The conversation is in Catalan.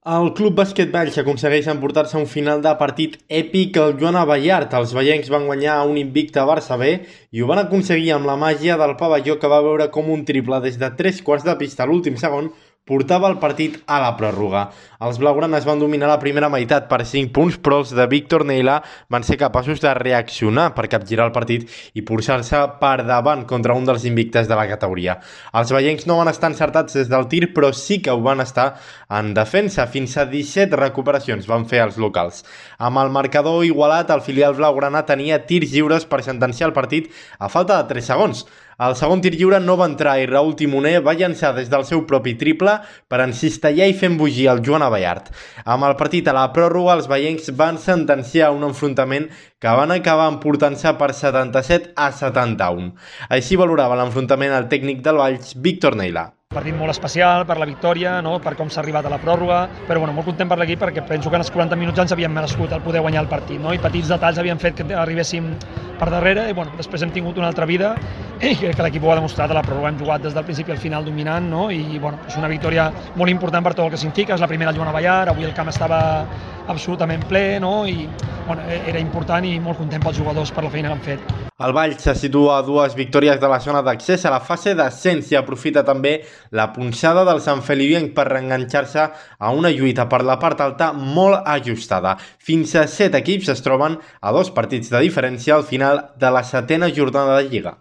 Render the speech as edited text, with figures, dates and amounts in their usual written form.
El Club Bàsquet Valls aconsegueix emportar-se un final de partit èpic al Joan Abellart. Els veiencs van guanyar un invicte Barça B i ho van aconseguir amb la màgia del pavelló, que va veure com un triple des de 3 quarts de pista a l'últim segon portava el partit a la pròrroga. Els blaugranes van dominar la primera meitat per 5 punts, però els de Víctor Neila van ser capaços de reaccionar per capgirar el partit i posar-se per davant contra un dels invictes de la categoria. Els veiencs no van estar encertats des del tir, però sí que ho van estar en defensa. Fins a 17 recuperacions van fer els locals. Amb el marcador igualat, el filial blaugrana tenia tirs lliures per sentenciar el partit a falta de 3 segons. El segon tir lliure no va entrar i Raúl Timoner va llançar des del seu propi triple per encistellar i fer embogir el Joan Abellart. Amb el partit a la pròrroga, els veiencs van sentenciar un enfrontament que van acabar emportant-se per 77-71. Així valorava l'enfrontament el tècnic del Valls, Víctor Neila. Partit molt especial per la victòria, no? Per com s'ha arribat a la pròrroga, però molt content per l'equip perquè penso que en els 40 minuts ja ens havíem merescut el poder guanyar el partit, no? I petits detalls havien fet que arribéssim per darrere i després hem tingut una altra vida i crec que l'equip ho ha demostrat. A la pròrroga hem jugat des del principi al final dominant, no? I és una victòria molt important per tot el que significa. És la primera al Joan Abellart, avui el camp estava absolutament ple, no? I era important i molt content pels jugadors per la feina que han fet. El Valls se situa a 2 victòries de la zona d'accés a la fase d'ascens i aprofita també la punxada del Sant Feliuenc per reenganxar-se a una lluita per la part alta molt ajustada. Fins a 7 equips es troben a 2 partits de diferència al final de la 7a jornada de Lliga.